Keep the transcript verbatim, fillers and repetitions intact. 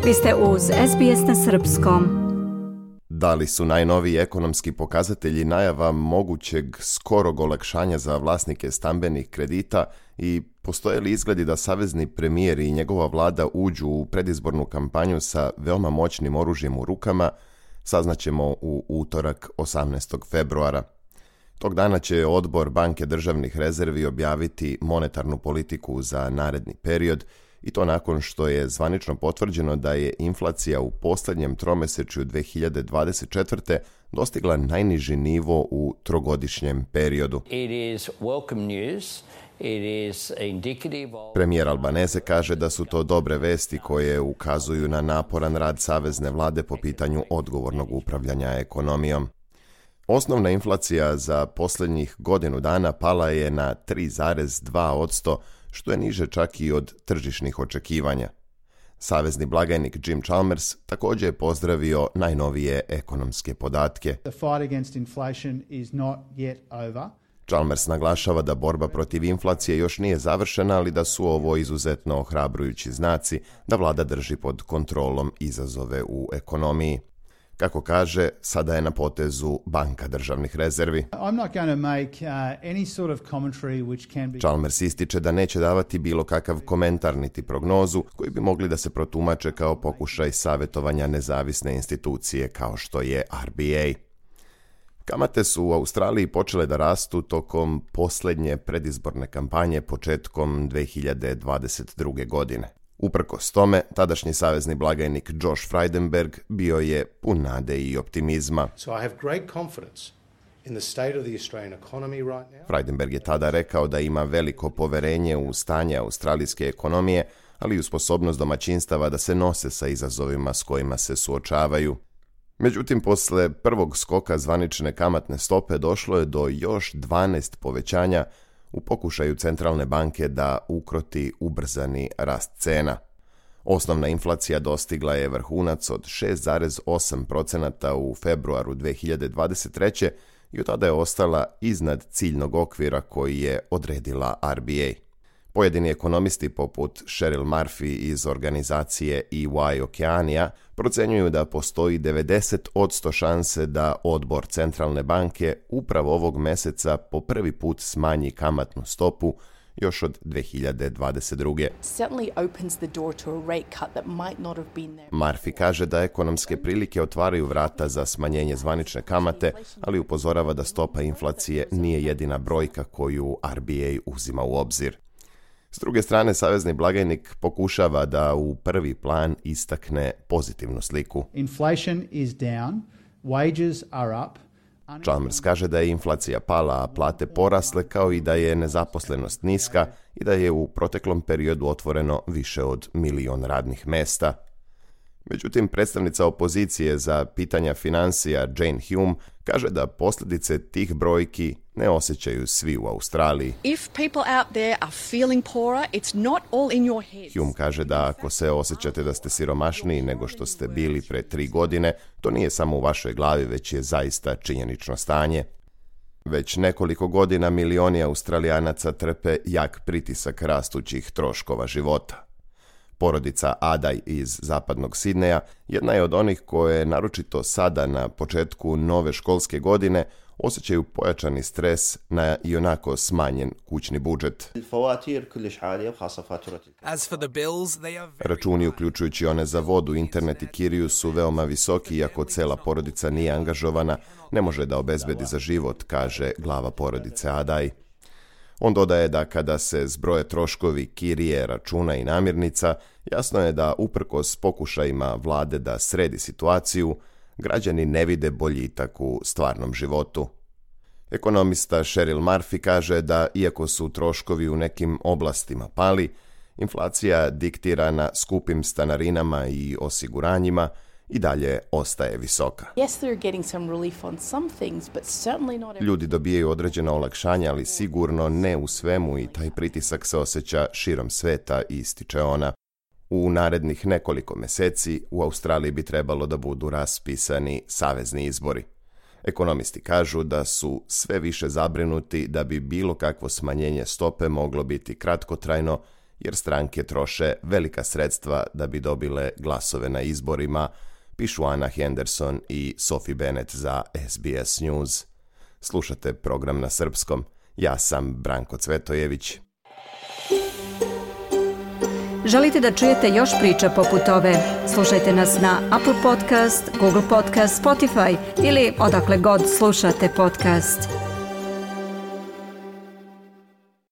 Vi ste uz S B S na srpskom. Da li su najnoviji ekonomski pokazatelji najava mogućeg skorog olakšanja za vlasnike stambenih kredita i postoje li izgledi da savezni premijer i njegova vlada uđu u predizbornu kampanju sa veoma moćnim oružjem u rukama, saznaćemo u utorak osamnaestog februara. Tog dana će odbor Banke državnih rezervi objaviti monetarnu politiku za naredni period, i to nakon što je zvanično potvrđeno da je inflacija u posljednjem tromesečju dve hiljade dvadeset četvrte. dostigla najniži nivo u trogodišnjem periodu. It is welcome news. It is indicative of... Premijer Albanese kaže da su to dobre vesti koje ukazuju na naporan rad savezne vlade po pitanju odgovornog upravljanja ekonomijom. Osnovna inflacija za posljednjih godinu dana pala je na tri zarez dva posto, što je niže čak i od tržišnih očekivanja. Savezni blagajnik Jim Chalmers također je pozdravio najnovije ekonomske podatke. The fight against inflation is not yet over. Chalmers naglašava da borba protiv inflacije još nije završena, ali da su ovo izuzetno ohrabrujući znaci da vlada drži pod kontrolom izazove u ekonomiji. Kako kaže, sada je na potezu Banka državnih rezervi. I'm not going to make uh, any sort of commentary which can be... Chalmers ističe da neće davati bilo kakav komentar niti prognozu koji bi mogli da se protumače kao pokušaj savjetovanja nezavisne institucije kao što je R B A. Kamate su u Australiji počele da rastu tokom posljednje predizborne kampanje početkom dve hiljade dvadeset druge. godine. Uprkos tome, tadašnji savezni blagajnik Josh Frydenberg bio je pun nade i optimizma. So I have great confidence in the state of the Australian economy right now. Frydenberg je tada rekao da ima veliko poverenje u stanje australijske ekonomije, ali i u sposobnost domaćinstava da se nose sa izazovima s kojima se suočavaju. Međutim, posle prvog skoka zvanične kamatne stope došlo je do još dvanaest povećanja u pokušaju centralne banke da ukroti ubrzani rast cena. Osnovna inflacija dostigla je vrhunac od šest zarez osam posto u februaru dve hiljade dvadeset treće. i od tada je ostala iznad ciljnog okvira koji je odredila R B A. Pojedini ekonomisti poput Cheryl Murphy iz organizacije E Y Okeanija procenjuju da postoji devedeset posto šanse da odbor centralne banke upravo ovog meseca po prvi put smanji kamatnu stopu još od dve hiljade dvadeset druge. Murphy kaže da ekonomske prilike otvaraju vrata za smanjenje zvanične kamate, ali upozorava da stopa inflacije nije jedina brojka koju R B A uzima u obzir. S druge strane, savezni blagajnik pokušava da u prvi plan istakne pozitivnu sliku. Inflation is down, wages are up. Chalmers kaže da je inflacija pala, a plate porasle, kao i da je nezaposlenost niska i da je u proteklom periodu otvoreno više od milion radnih mesta. Međutim, predstavnica opozicije za pitanja financija Jane Hume kaže da posljedice tih brojki ne osjećaju svi u Australiji. If people out there are feeling poorer, it's not all in your head. Hume kaže da ako se osjećate da ste siromašniji nego što ste bili pre tri godine, to nije samo u vašoj glavi, već je zaista činjenično stanje. Već nekoliko godina milioni Australijanaca trpe jak pritisak rastućih troškova života. Porodica Adaj iz zapadnog Sidneja jedna je od onih koje, naročito sada na početku nove školske godine, osjećaju pojačani stres na ionako smanjen kućni budžet. Računi, uključujući one za vodu, internet i kiriju, su veoma visoki, iako cela porodica nije angažovana, ne može da obezbedi za život, kaže glava porodice Adaj. On dodaje da kada se zbroje troškovi kirije, računa i namirnica, jasno je da uprkos pokušajima vlade da sredi situaciju, građani ne vide boljitak u stvarnom životu. Ekonomista Cheryl Murphy kaže da iako su troškovi u nekim oblastima pali, inflacija diktirana skupim stanarinama i osiguranjima i dalje ostaje visoka. Ljudi dobijaju određena olakšanja, ali sigurno ne u svemu, i taj pritisak se osjeća širom sveta, ističe ona. U narednih nekoliko meseci u Australiji bi trebalo da budu raspisani savezni izbori. Ekonomisti kažu da su sve više zabrinuti da bi bilo kakvo smanjenje stope moglo biti kratkotrajno jer stranke troše velika sredstva da bi dobile glasove na izborima, pišu Anna Henderson i Sophie Bennett za S B S News. Slušate program na srpskom. Ja sam Branko Cvetojević. Želite da čujete još priča poput ove? Slušajte nas na Apple Podcast, Google Podcast, Spotify ili odakle god slušate podcast.